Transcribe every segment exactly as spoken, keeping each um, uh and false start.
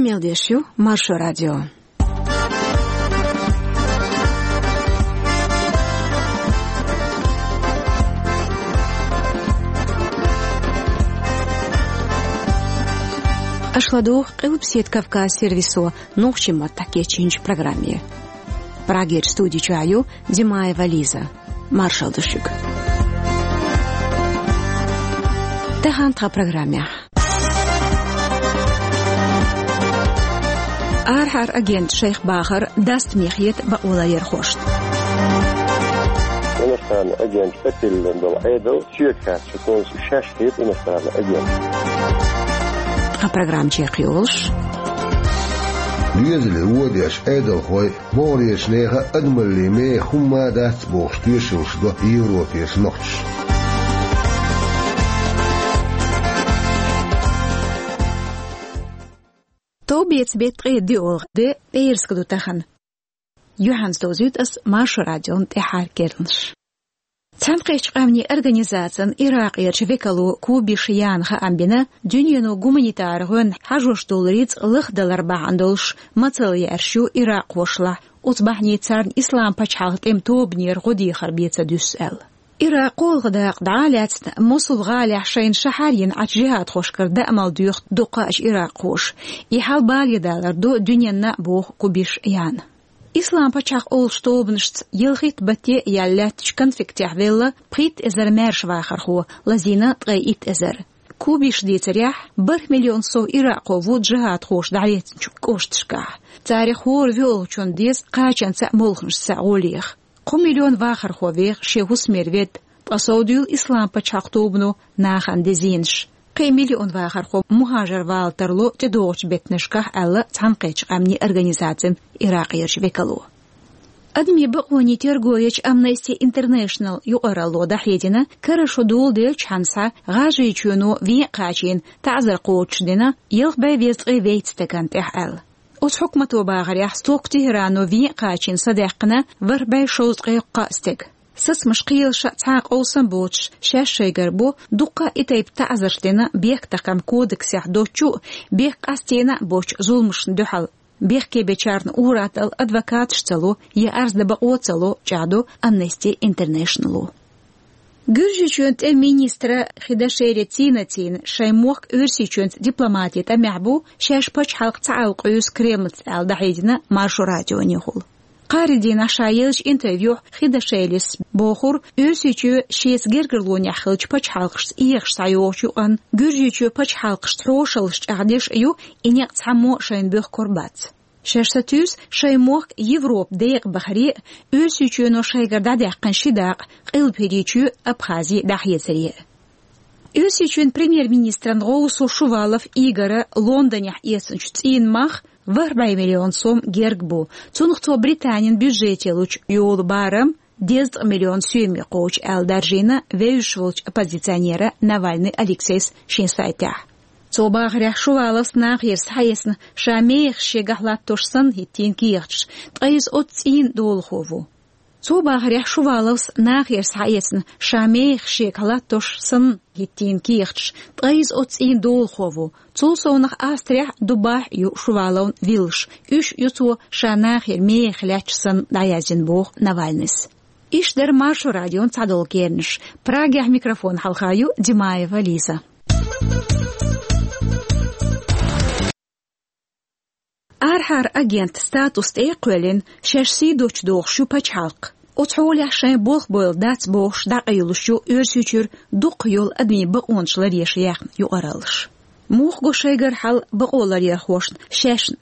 Мел деш ю Маршо радио. Аша ладугӀу Къилбаседа Кавказ сервисо нохчийн маттахь кечйинчу программе. Прагерчу студи чохь ю Димаева Лиза. Маршалла ду шуьга. Тахана тхан программехь. Арахьара агенташа шайх бахар даста мехьа хета бакъоларъярхошна. Иностранный агент тӀетиллина долу Ӏедал соьга хаьттича, шаьш хета иностранный агент. Тхан программа чекхйолуш. Доьзале вон деш Ӏедалхой могӀарерчу нехан адамаллин мехах хӀумма а дац бохуш тоьшаллаш до Европерчу нохчаша. Товбеца беттан ткъе доьалгӀа де, пӀераска ду тахана. Юьхьанца довзуьйту ас Маршо радион тӀаьххьара керланаш. Цхьаьнакхеттачу къаьмнийн организацин Иракъерчу векало Кубиш Яна хаам бина, дуьнено гуманитар гӀоьнна хьажош долу рицкъ лахдалар бахьана долуш мацалла яьржаш ю иракъхошлахь, оцу бахьанийца царна Ислам пачхьалкхан тӀеман тобанера гӀо дехар бен ца дуьсу аьлла. Иракъ кхоалгӀа дакъа дӀа а лаьцна, Мосул гӀалахь шайна шахьар йина Ӏачу жихӀадхошкара даамал доьху дуккха а иракъхоша. И хьал баледалар ду дуьненна а, боху Кубиш Яна. Ислам пачхьалкх олучу тобанашца ялхитта батте а яьлла лаьттачу конфликтехь велла пхийтта эзар маьрша вахархо, лазийна ткъе итт эзар. Кубиш дийцарехь, бархӀ миллион сов иракъхо ву жихӀадхоша дӀалецначу кӀошташкахь. Царах хӀора воьалгӀачунна деза кхачанца а, молханашца а гӀо леха. Кхо миллион вахархо веха шен хӀусамера ведда, ткъа сов дуьйла Ислам пачхьалкх тобано нахана де зенаш. Кхин миллион вахархо мухӀажар вала тарло тӀедогӀучу беттанашкахь, аьлла Цхьаьнакхеттачу къаьмнийн организацин Иракъерчу векало. Адамийн бакъонийн терго ечу Amnesty International юкъаралло дӀахьедина, кара шо доладелча хьан схьа ГӀажарийчоьно вен а кхачийна таӀзар кхочушдина ялх бӀе дезткъе вейтта стагана тӀехь аьлла. Оцу хьукмато бахарехь, стохка Тегерано вен а кхачийна садаьккхина ворхӀ бӀе шовзткъе кхоъ стаг. Сацамаш кхелаша цхьа а къовсам боцуш, шаьш шайгара бу дуккха а и тайпа таӀзарш дина Бехктакхаман кодексехь доцучу а, бехк къастийна а боцучу зуламашна дуьхьал. Бехке бечарна ур-атталла адвокаташ ца ло я арз дан бакъо ца ло, чӀагӀдо Amnesty International-о. Гуьржийчоьнан тӀеман министра Хидашели Цинацина шайн мохк Оьрсийчоьнца дипломатин тӀамехь бу, шаьш пачхьалкх ца Ӏалкъоьсу Кремлца аьлла, дӀахьедина Маршо радионехула. Кхаарин дийнахь ша еллачу интервьюхь Хидашелис бохура, Оьрсийчоь шеца гергарлонехь хиллачу пачхьалкхашца эгӀаш схьайогӀучу юкъанна Гуьржийчоьнан пачхьалкхашца хьошаллаш чӀагӀдеш а ю, и некъ цхьаммо а шайна боьхкур бац. Шаьш сатуьйсу шайн мохк Европа декъабахаре а, Оьрсийчоьно шайгара дӀадаьккхина ши дакъа Къилбаседа Абхази дӀахецаре а. Оьрсийчоьнан премьер-министран гӀовсо Шувалов Игора Лондонехь эцначу цӀийнан мах ворхӀ бӀе миллион сом герга бу. Цунах цо Британин бюджете лучу йолу барам дезткъа миллион соьме кхочу аьлла даржийна вевзаш волчу оппозиционера Навальный Алексейс шен сайтехь. Цо бахарехь, Шуваловс нахера схьаэцна ша мехаш шегахь латтош санна хӀиттийна кехаташ, ткъа иза оцу цӀийнан долахо ву. Цо бахарехь, Шуваловс нахера схьаэцна ша мехаш шегахь латтош санна хӀиттийна кехаташ, ткъа иза оцу цӀийнан долахо ву. Цул совнаха Австрехь а, Дубайхь а ю Шуваловн виллаш. Уьш ю цо ша нахера мехах лаьтташ санна дӀаяздина, боху Навальныйс. Иштта дара Маршо радион цхьадолу керланаш. Прагехь микрофон хьалха ю Димаева Лиза. Арахьара агент статус тӀе а кхоьллина, шаьш сий доцуш дохуш ю пачхьалкх. Оцу хьолехь шайн болх бойла дац бохуш дӀакъайлуш ю Оьрсийчуьра дуккха йолу адамийн бакъонаш ларъеш яьхна юкъараллаш. Муха го шайгара хьал бакъоларъярхошна шаьшна?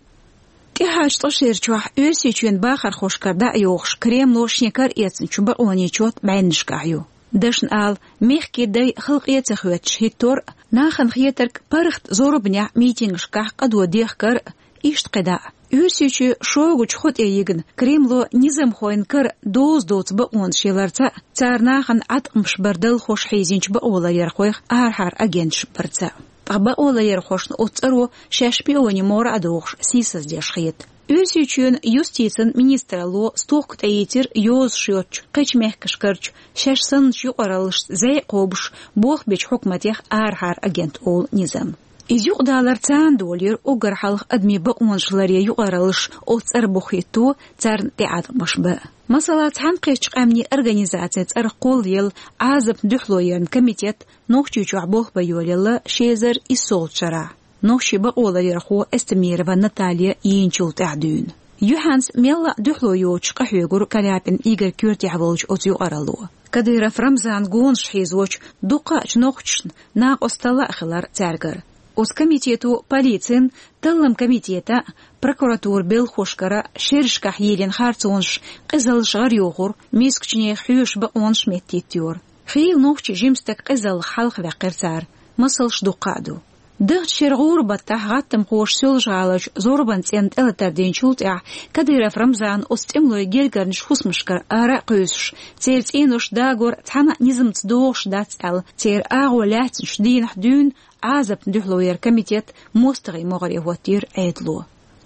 ТӀаьхьарчу ткъа шерачохь Оьрсийчоьнан бахархошкара дӀа а йогӀуш, Кремло шен кара эцначу бакъонийн чот бӀеннашкахь ю. Дашна ала, мехкийн дай халкъе а ца хоьттуш хӀиттор а, нахана хетарг паргӀат зорбанехь митингашкахь къадо дехкар а, иштта кхидӀа а. Оьрсийчоь шогачу хӀу тӀе йигна, Кремло низамхойн кара доза доцу бакъонаш яларца а, цара нахана Ӏаткъамаш бар далхош хьийзинчу бакъоларъярхойх арахьара агенташ барца а. Ткъа бакъоларъярхошна оцу цӀаро шаьш шпионийн могӀара а дохуш сийсаздеш хета. Оьрсийчоьнан юстицин министралло стохка тӀеийцира йозуш йоцучу кхечу мехкашкарчу шаьш санначу юкъараллашца зӀе а кхобуш болх бечу хьукматех арахьара агент олу низам. Иза юкъадалар царна долийра уггар хьалха адамийн бакъонаш ларъе юкъараллаш оцу цӀера бухахӀитто, царна тӀеӀаткъамаш бан. Масала, Цхьаьнакхеттачу Къаьмнийн Организацин цӀарах кхоллаелла Ӏазапна дуьхьало яран комитет Нохчийчохь болх бан йолаелла ши эзар иссолгӀачу шарахь, нохчийн бакъоларъярхо Эстемирова Наталья йийначул тӀаьхьа дуьйна. Юьхьанца мелла а дуьхьало йоцуш къахьоьгура Каляпин Игорь коьртехь волчу оцу юкъаралло. Кадыров Рамзанан гонаш хьийзочу дуккха а нохчашна накъосталла а хилира цаьргара. Оцу комитето полицин, талламан комитетан а, прокуратуран белхахошкара а шерашкахь йийлина харцонаш, къизаллаш гӀарайохура, мискачу нехан хьоьжуш бакъонаш меттахӀиттайора. Хийла нохчийн жима стаг къизаллех хьалхаваьккхира цара, масалш дуккха а ду. Даханчу шеран гӀуран баттахь гӀаттамхоша Соьлжа-ГӀаларчу зорбанан цӀенна тӀелатар динчул тӀаьхьа Кадыров Рамзана оцу тӀемалойн гергарнаш хӀусамашкара ара а кхуьйсуш, церан цӀенош дагор цхьана а низамца догӀуш дац аьлла, церан агӀо лаьцначу дийнахь дуьйна Ӏазапна дуьхьало яран комитет мостагӀийн могӀаре хӀоттийра Ӏедало.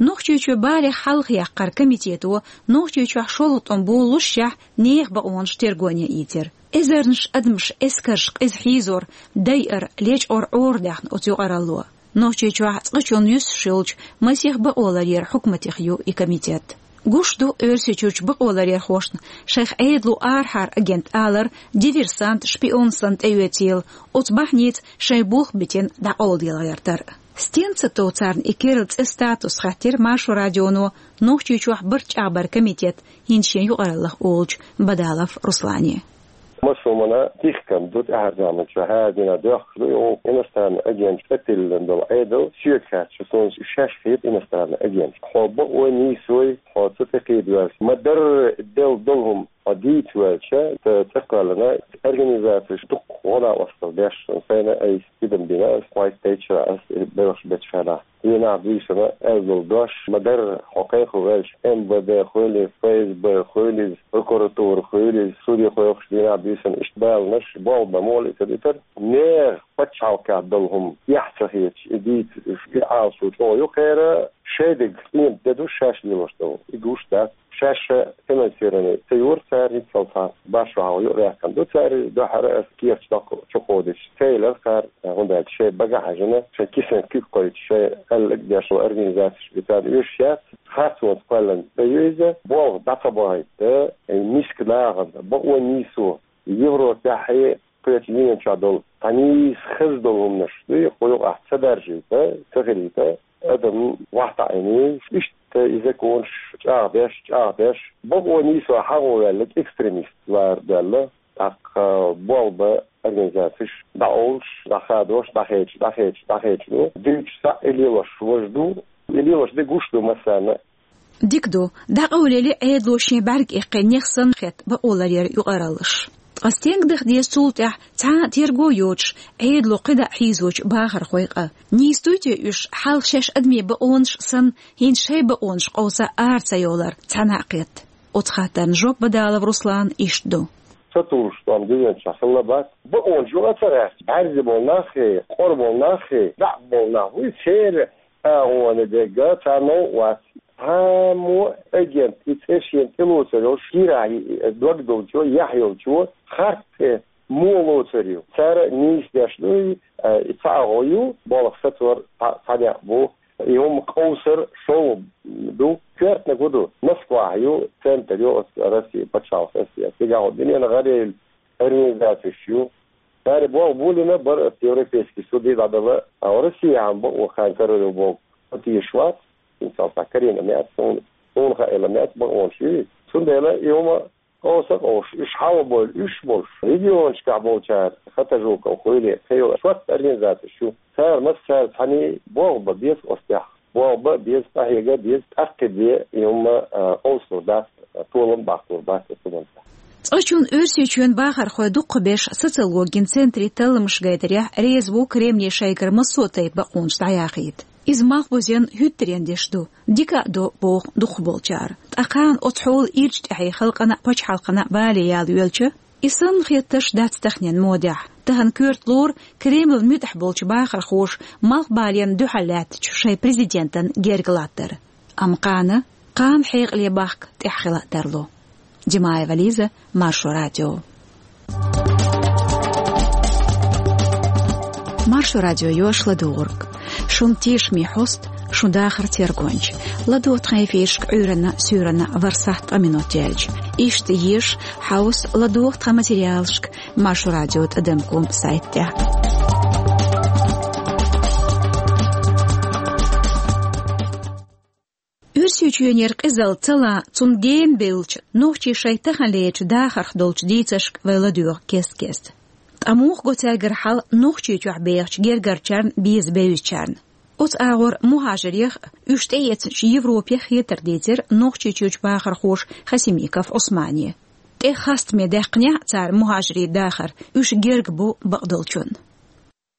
Нохчийчоь балех хьалхаяккхаран комитето Нохчийчохь шолгӀа тӀом болалушшехь нехан бакъонаш тергоне ийцира. Эзарнаш адамаш эскарша къиза хьийзор, дайар, лечкъор Ӏорадаьхна оцу юкъаралло. Нохчийчохь цкъачунна юьсуш йолчу масех бакъоларъяран хьукматех ю и комитет. Гуш ду Оьрсийчуьрчу бакъоларъярхошна шайх Ӏедало арахьара агент алар диверсант, шпион санна тӀеоьцийла, оцу бахьаница шайн болх битина дӀакъовладелла гӀертар. Стенца тов царна и керла цӀе, статус, хаьттира Маршо радионо Нохчийчохь барт чӀагӀбаран комитет хӀинца шен юкъараллах олучу Бадалов Руслане. Массо а хӀуманна дихкина ду тӀаьхьарчу заманчохь, хӀара дийнахь доьхкуш ду, и иностранный агент тӀетиллина долу Ӏедал, соьга хаьттича, суна шаьш хета иностранный агент. Хьо бакъо нийсой, хьо ца тӀекхийда ваьлча, ма-дарра делла долу хӀума хьо дийца ваьлча, ца, цӀа кхоьллина, организацеш дукха гӀо-накъосталла деш, сайна айса тидам бина ас, кхойттайча шера ас и белхаш бечу хенахь. Дийнахь буьйсанна аьлла долу дош ма-дарра, хьо кхайкхо ваьлча, М В Д хуьлий, Ф С Б хуьлий, прокуратура хуьлий, суде кхойкхуш дийнахь буьйсанна иштта баланаш, болх бан муха лиъцар, итар. Нехан пачхьалкхехь долу хӀума эхь ца хеташ, и дийца, и Ӏалашо чӀогӀа ю кхеран, шайн дегнаш къемат де ду шаьш лелош долу. И гуш дац. Шаьш финансирование ца йора цара, хӀинццалц башха хьалха юкъадаьккхина ду цара, дуьххьара ас кехаташ доккха чукхо дича. Ца елира цара, хӀунда аьлча шайн бага хьаьжна, шайн кисана куьг кхойтта, шайн аьлларг деш долу организацеш бен царна оьшуш яц. Харцонца кхоьллина тӀе ю иза, болх дӀа ца бахийта, миска нахана бакъо нийсо, Европехь, кхечу дуьнен чохь долу цхьа нийса хаза долу хӀуманаш дуй, кху юкъахь ца даржийта, ца хилийта, адам вахтаӀийна, иштта и законаш чӀагӀдеш, чӀагӀдеш, бакъо нийсо хьагӀо ваьлларг экстремист лара даьлла, тӀаккха болх бан организацеш дӀаолуш, дӀахадош, дӀахедаш, дӀахедаш, дӀахедаш ду. Дуьйцуш цхьаъ и лелош важа ду, и лелош де гуш ду массарна. Дика ду, дӀакъовлийла Ӏедало шен бӀаьрг иккхина нех санна хетта бакъоларъяран юкъараллаш. Ткъа стенга даха деза цул тӀаьхьа цхьа а терго йоцуш, Ӏедало кхидӀа хьийзочу бахархойн къа? Нийса дуй те уьш, хьалха шаьш адамийн бакъонаш санна, хӀинца шайн бакъонаш къовса ара ца йовлар цхьана а кхетта? Оцу хаттарна жоп Бадалов Руслана иштта ду. Ца тухуш тӀом дуьнен чохь хилла бац. Бакъонаш юкъа ца гӀерташ, бӀаьрзе болу наххий, къора болу наххий, дӀа болу нах вуй, церан агӀоне дерг царна новкъа вац. Цхьаммо агент, и цӀе шена тӀелоцур йолуш, кийрахь дог долчо, яхь йолчо, харц цӀе муха лоцур ю? Цара нийса деш ду, и, а, и цхьа агӀо ю, болх сацор цхьа, цхьа некъ бу. И хӀума къовсар шолгӀа ду, коьртаниг хӀун ду? Москвахь ю, центр ю оцу Россия пачхьалкх, С С С, цигахь хӀун дуьненан гӀарайолу организацеш ю. Цара болх болийна бара оцу Европейский суде дӀадала, а Россияхь бакъо кхайкхар ю боху, хӀун теша вац, хӀинцалц Карина меца, суна, суна хаийла меца бакъонаш ю. Цундела и хӀума къовса а къовсуш, уьш хьалха бевлла уьш болуш, регионашкахь болчара, Хатажуков хуьлий, кхин йолу шортта организацеш ю. Цара массара цхьаьний болх бан беза оцу тӀехь. Болх бан беза, къахьега беза, тӀаккха бен и хӀума, а, къовсалур дац, толам баккхалур бац оцу хӀуманца. Цкъачунна Оьрсийчоьнан бахархой дукхахберш социологин центран талламаш гайтарехь реза ву Кремле шайгара массо а тайпа бакъонаш дӀаяхийта. Иза малхбузен хӀуьттаренна деш ду, дика а до, боху дукхахболчара. Ткъа кхана оцу хьолан ирча тӀаьхье халкъана а, пачхьалкхана а бале яла йоьлча, и санна хеттарш дац таханен модехь. Тахана коьрта лору Кремлан муьтӀахь болчу бахархоша малхбалена дуьхьал лаьттачу шайн президентан герга латтар. Амма кхана, кхана хьекъале бахка тӀехь хила а тарло. Димаева Лиза, Маршо радио. Маршо радио йош ладугӀург. Шун тешаме хьост, шун дахар тергонча. ЛадугӀа тхан эфирашка Ӏуьйранна, суьйранна вархӀ сахьт ткъа минот яьлча. Иштта еза, хьовса, ладугӀа тхан материалашка Маршо радио тӀадам ком сайта тӀа. Оьрсийчоьнера къизалла ца лан, цунна генабеллача нохчий шайн таханлерча дахарх долча дийцаршка вай ладоьгӀу кест-кеста. Ткъа муха го цаьргара хьал Нохчийчохь бехача гергарчарна, беза бевзачарна? Оцу агӀор мухӀажарех а, уьш тӀеэцначу Европех а хетар дийцира Нохчийчуьрчу бахархоша Хасимиков Ӏусмане. ТӀе хастаме даьккхинехь а цара мухӀажарийн дахар, уьш герга бу бакъдолчунна.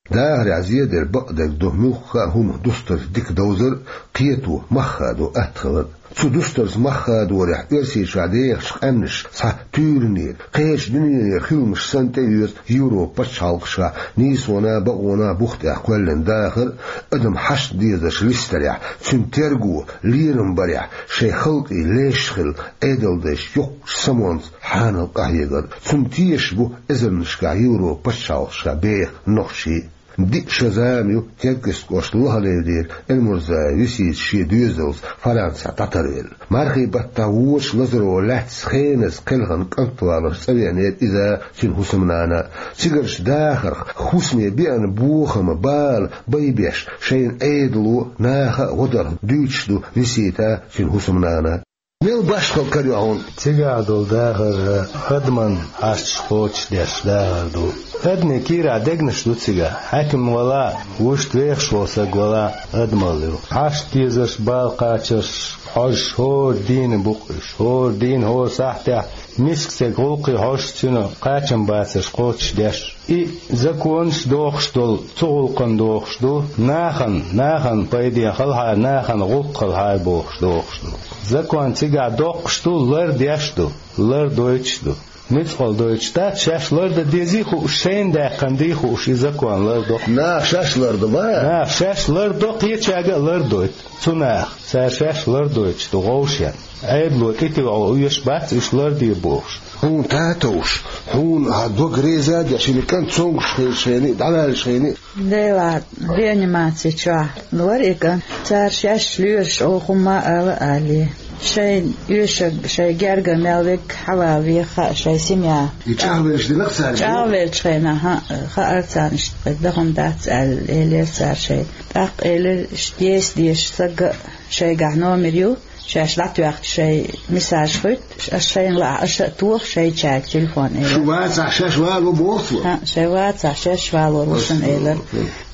Дахарехь зедар бакъдерг ду муьлхха а хӀума дустарца дика довзар а, кхето мах хадо атта хилар а. Цу дустарца мах хадорехь Оьрсийчохь дехачу къаьмнаша цхьа туьйранера, кхечу дуьненера хиламаш санна тӀеоьцу Европан пачхьалкхашкахь нийсонан а, бакъонан а бух тӀехь кхоьллина дахар а, адам хьашт дезарш листарехь, цуьнан терго, лерам барехь, шайн халкъе леш хилла Ӏедалдайша йоккхачу самонца хьанал къахьегар а. Цунна тешаш бу эзарнашкахь Европан пачхьалкхашкахь беха нохчий а. Диъ шо зама ю Теркйист кӀоштан Лохаледера Эльмурзаев Висита шен доьзалца Францехь дӀатарвелла. Мархийн баттахь вочу лазаро лаьцна хеназа кхелхина кӀант валарца цӀа веанера иза а, цуьнан хӀусамнана а. Цигарчу дахарх, хӀусаме беана бохам а, бала а байбеш, шайна Ӏедало, наха а гӀо дарх дуьйцуш ду Висита а, цуьнан хӀусамнана а. Мел башхалла кара ю хьуна цигахь долу дахар? Адаман хьашташ кхочушдеш дахар ду. Адамийн кийрахь дегнаш ду цигахь. Хьаькам валахь а, вуьшта вехаш волу саг валахь а, адамалла ю. Хьашт дезарш, бала кхачарш хьожуш хӀора дийне бу-кх уьш. ХӀора дийне, хӀора сахьтехь миска стеган гӀуллакхе хьожуш, цуьнан кхачам бацарш кхочушдеш. И законаш дохуш долу, цу гӀуллакхана дохуш ду, нахана, нахана пайдехь хилахьара, нахана гӀуллакх хилахьара бохуш дохуш ду. Закон цигахь доккхуш ду, лардеш ду, лардойтуш ду. Муьцкъала дойтуш дац, шаьш лардан дезий хууш, шайна даьккхина дий хууш, и закон лардо. Наха шаьш лардо ма? Наха шаьш лардо, кхечаьрга а лардойту. Цу наха, цара шаьш лардойтуш ду, гӀовшен. Ӏедало тӀетоьхьо оьшуш бац уьш ларде бохуш. Хьуна татовш, хьуна хьан дог реза а деш, или кӀант цомгуш хилча хенахь а, дӀаваьлча хенахь а. Делахь, реанимаци чохь вара и кӀант. Цара шаьш лоьраш оха хӀумма а ала а алий. Шайн оьшург, шайн герга мел верг хьавалаве хаьа шайн семья. И чӀагӀвеллаш динарг цаьрга? ЧӀагӀвеллачу хенахь, хьан, хаьара царна, иштта кхин дан хӀума дац аьлла, элира цара шайга. ТӀаккха элира, иштта, еса дезаш сага а шайгахь номер ю, шаьш дӀатоьхча шайн мессаж хуьтту, аш шайна лаахь, аша а тоха шайчаьрга телефон, элира. Шу вацахь, шаьш вало боху цо? ХӀаъ, шайн вацахь, шаьш валор ву шуна, элира.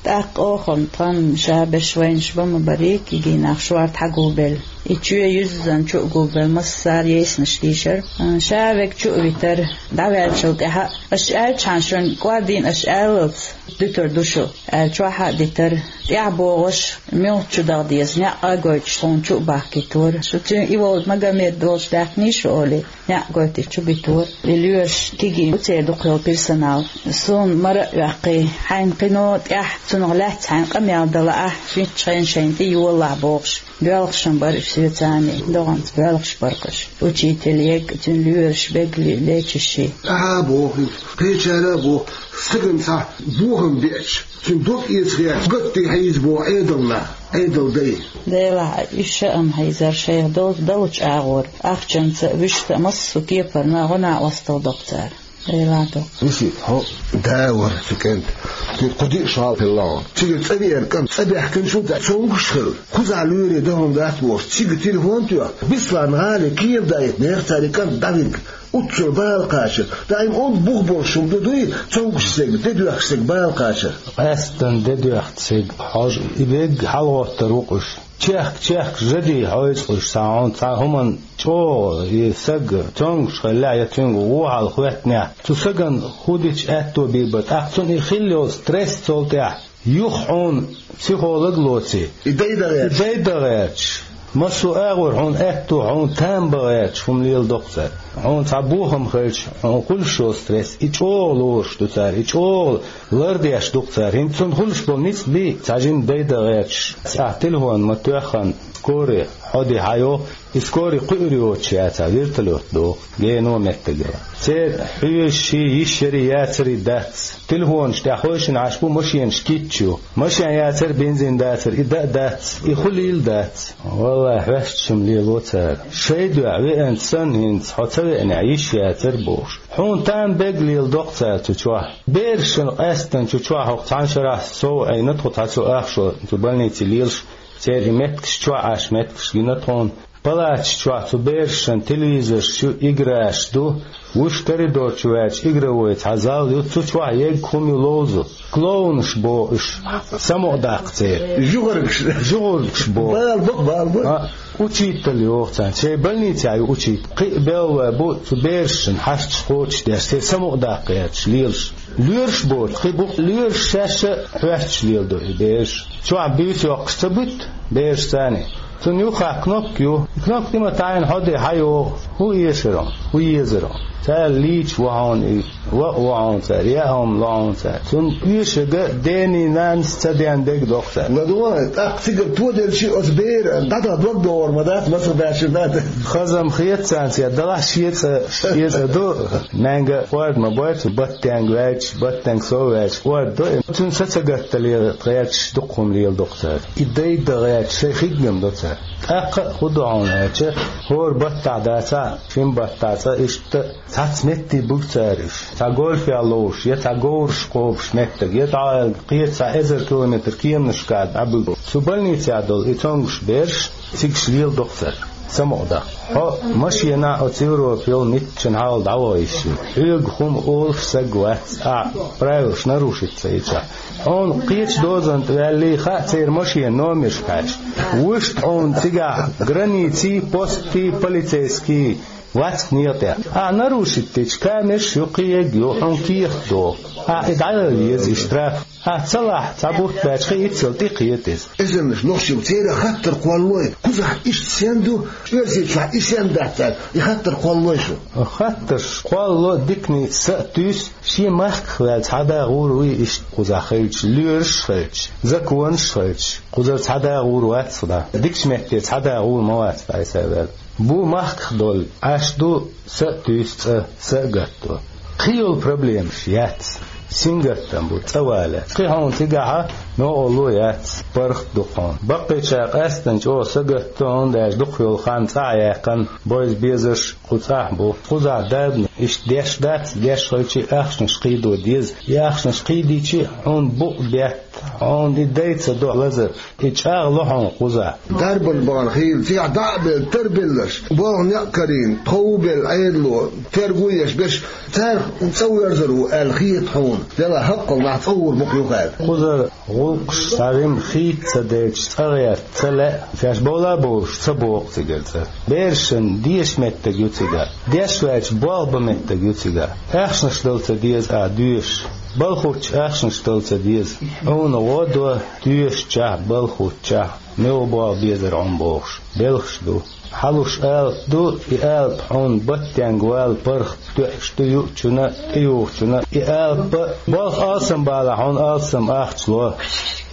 ТӀаккха оха тхан ша берш вайнаш бан ма барий, кегий нах шорта хьагулбелла. И чоь юьззина чу а гулбелла, массара а йийсинарш дийшира. Ша верг чу а витира, дӀаваьллачул тӀаьхьа а, аша аьллачхьана шуна кӀордийна аша аьллалц дуьтур ду шу, аьлла, чохь а дитира. ТӀаьхьа богӀуш, муьлхачу даха деза, некъ а гойтуш, тхуна чу а бахкийтора. Шу цуьнан и волу Магомед волчу даьккхиний шу олий, некъ гойтуш чу битора. И лоьраш кегий бу, церан дукха йолу персонал. Суна мара а оьккхий, хьайна кхин а тӀаьхьа цунах лаьцна хьайна къамел дан лаахь, шуьнчу хенахь шайна тӀе йолалахь бохуш. Боьлхуш-м бара уьш соьцаний, догӀанца боьлхуш бара-кх уьш. Учитель ерг а, цуьнан лоьраш бегали, лечащий. Ахьа а боху иза, кхечара а боху, стагана цхьа бохам беача, цуьнан дог эца гӀерташ, гатде хьийза боху Ӏедална, Ӏедалан дай. Делахь, уьш ша-м хьийзара шайх долчу далучу агӀора, ахчанца а, вуьшта а, массо а кепарна гӀо-накъосталла до-кх цара. Делахь, до-кх. Висита, хьо да вара цу кӀентан. Цуьнан кху диъ шо хьалха хилла хьуна. Цигара цӀа веара кӀант, цӀа баьхкина шу дац, цомгуш хилла. Кхузахь лоьре дан хӀума дац бохуш, цига телефон тоьхна, Беслан-гӀалин кхера даийтинера цара и кӀант дӀавинарг. Уьш цунна бала кхачар. Даим онда бух болуш хӀума ду дуй, цомгуш стеган, де доьхкуш стеган бала кхачар. Къаьсттина де доьхку стеган хьожа, и верг хьалагӀоттур ву-кх уьш. Чехка-чехка жа де хьойзу-кх уьш, цхьа хьуна цхьа хӀуманна чӀогӀа и саг цомгуш хиллехь я цуьнга вон хьал хӀоьттинехь, цу сагана хӀун дича аьтто бийр бара, тӀаккха цунна и хилла йолу стресс цул тӀаьхьа юха хьуна психолог лоций. И дай дан гӀерташ. И дай дан гӀерташ. Массо а агӀор хьуна аьтто, хьуна там бан гӀерташ хӀума леладо-кх цара. Хьуна цхьа бохам хилча, хьуна хуьлуш йолу стресс, и чӀогӀа лоруш ду цара, и чӀогӀа лардеш ду-кх цара. ХӀинца цунна хуьлуш болу ницкъ бий, цхьа жимма дай дан гӀерташ, ахь телефон ма тоьххана, Скорый хьо де хьайо, и скорый кхуьур йоцуш яцахь, вертолет доху, гено меттагала. Церан хьоьжуш, йиш яри яцари дац. Телефонаш тӀехь хойшина Ӏаш бу, машенаш кийча ю. Машен яцара, бензин дацара, и дан а дац, и хуьлийла дац. Валлахь, хьоьстуш-м лело цара. Шайн дуьхьа веанчу санна, хӀинца хьо ца веанехь, йиш яцара бохуш. Хьуна там бегга леладо-кх цара цу чохь. Берашна къаьстина цу чохь хӀокху цхьана шарахь сов Ӏийна тхо цхьа цу ахчо, цу больнице лелаш. Церан и меттигаш чохь Ӏаш, меттигаш гина тхуна. Палаташ чохь цу берашна телевизорш ю, играш ду. Вуьш коридор чу ваьлча, игровой цхьа зал ю, цу чохь ерг хӀума ю ловзу. Клоунаш боху уьш, самукъадаккха церан. ЖугӀургаш. ЖугӀургаш боху. Бала бу, бала бу. А, учитель йоху царна. Шайн больницехь ю учитель. Кхин а белла бу цу берашна хьашташ кхочушдеш, церан самукъадаккха гӀерташ лелаш. Лоьраш боцу, кхин бу лоьраш, шаьш а хьоьстуш леладо и бераш. Чохь буьйса йоккхуш ца буьту бераш царна. Цунна юххехь кнопка ю. И кнопка тӀе ма таьӀна хьо де хьайогӀу. ХӀун эшар хьуна? ХӀун езар хьуна? Цара лийча ву хьуна и, ваъ ву хьуна цара, яа хӀума ло хьуна цара. Цунна оьшург дений, нанас ца ден дерг доккху цара. Ма ду вай, тӀаккха цигара тоделчи оцу бера дӀадала дог догӀур ма дац, мацах баьршина дац. Хаза-м хета царна, церан далахь шен цӀа, шен цӀа ду. Маьнга орда ма бойцу, баттенга ваьлча, баттенга сов ваьлча, орда до. Цуьнан са ца гатта лела гӀерташ дукха хӀума леладо-кх цара. И дайда гӀерташ шайн хиггам до цара. ТӀаккха а хӀун до хьуна аьлча, хӀора баттахь дацахь, шина баттахь цкъа иштта цхьацца метте буьгу цара уьш. Цхьа гольфехь ловзуш, я цхьа говраш кхобуш меттиг, я дӀа аьлла кхечу цхьа эзар километр кеманашкахь дӀабуьгу. Цу больницехь долу и цомгуш бераш, цигаш леладо-кх цара, самукъадаккха. Хьо машенахь оцу Европа йолу митчан хьалха дӀаваха йиш ю. Хьоьга хӀума олуш саг вац, ахь правилаш нарушить ца йича. Хьуна кхечу дозанна тӀе ваьллий хаьа церан машенан номерш кхаьчна. Вуьшта хьуна цигахь границий, постий, полицейский вац-кх некъа тӀехь. Ахь нарушить дича, камераш ю, кхин ерг ю, хьуна кехат доху. Ахь и дӀаяла еза и штраф. Ахь ца лахь, цхьа бутт баьча, кхин иццал тӀе кхета иза. Эзарнаш нохчий бу, церан хаттар кхоллалой, кхузахь иштта стен ду, Оьрсийчохь и стен дац аьлла, и хаттар кхоллалой шу? Хаттарш кхоллало, диканца са а туьйсу, шен махках ваьлла цхьа да гӀур вуй иштта кхузахь хилча, лоьраш а хилча, законаш а хилча, кхузара цхьа да гӀур вац-кх да. Дикачу метте цхьа да гӀур ма вац-кх Ӏайса ваьлла. Бу махках долу, Ӏаш ду, са а туьйсу цӀа, са а гатто. Кхин йолу проблемаш яц. Сингаттам бу, цӀа валац. Кхин хьуна цигахь новкъарло яц, паргӀат ду-кх хьуна. Баккхийчара къаьсттина чӀогӀа сагатто, хӀунда аьлча дукха йолу хан цӀахь яьккхина, бойза безарш кху цӀахь бу. Кхузахь дадна иштта деш дац, деш хилчи, ахчанаш кхийдо деза. И ахчанаш кхийдийчи, хьуна букъ бетта, хьуна и дай ца до лазар. И чӀагӀло хьуна кхузахь. Дарбан бахана хийла, цигахь дӀа а белла, тарбелларш, болх некъ карийна, тхов а белла Ӏедало, терго а еш берш, царах цӀа верзар ву аьлла хета хьуна. Делахь хӀаккхалла нах цӀа гӀур бу-кх юха аьлла. Кхузара гӀуллакхаш схьарим хийца ца делча, цӀа гӀерта ца лаьа, шаьш бовла а бовлуш ца боху цигара цӀа. Берашна деша меттиг ю цигахь. Деш ваьлча болх бан меттиг ю цигахь. Ахчанаш дала ца деза ахь доьшуш. Балхучча ахчанаш дала ца деза. Хьуна гӀо до, доьшучохь, балхуччохь, муьлха болх безар хьуна бохуш, белхаш ду. Хьалуш алапа ду, и алапа хьуна баттенга вала паргӀат, тоьаш ду юучунна, тӀеюхучунна. И алапа, болх алсам балахь, хьуна алсам ахча ло,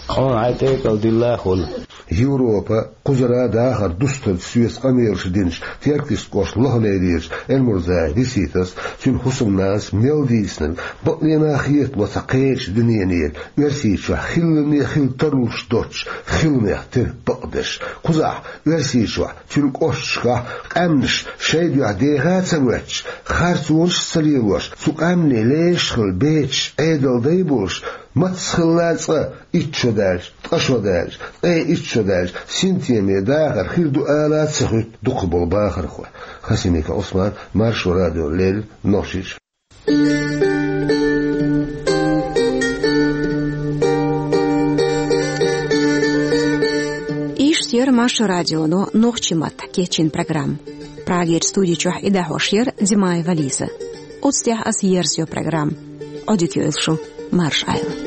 хьуна хьайн тӀекӀал дилла а хуьлу. Европа, кхузара дахар дустарца соьца къамелаш динчу Теркйистан кӀоштан Лохалейрерчу Эльмурзаева Риситас, цуьнан хӀусамнанас мел дийцинарг бакъдерг а хетаво цхьа кхечу дуьненера, Оьрсийчохь хиллане хила тарлуш доцчу хиламех тера бакъдерш. Кхузахь, Оьрсийчохь, цуьнан кӀошташкахь къаьмнаш шайн дуьхьа деха а ца воьттуш, харцонаш а ца лелош, цу къаьмнийн лешаш хилла бецаш, Ӏедалан дай болуш, маца хилла а цкъа итт шо даьлча, ткъа шо даьлча, ткъе итт шо даьлча, синтеме дахар хир ду ала а ца хуьтту дукхахболу бахархой. Хасимиков Ӏусман, Маршо радиона леррина, Нохчийчоь. Иштта яра Маршо радионо нохчийн маттахь кечйина программа. Прагерчу студи чохь и дӀахьош яра Димаева Лиза. Оцу тӀехь аса ерзайо программа. Ӏодика йойла шу, марша Ӏайла.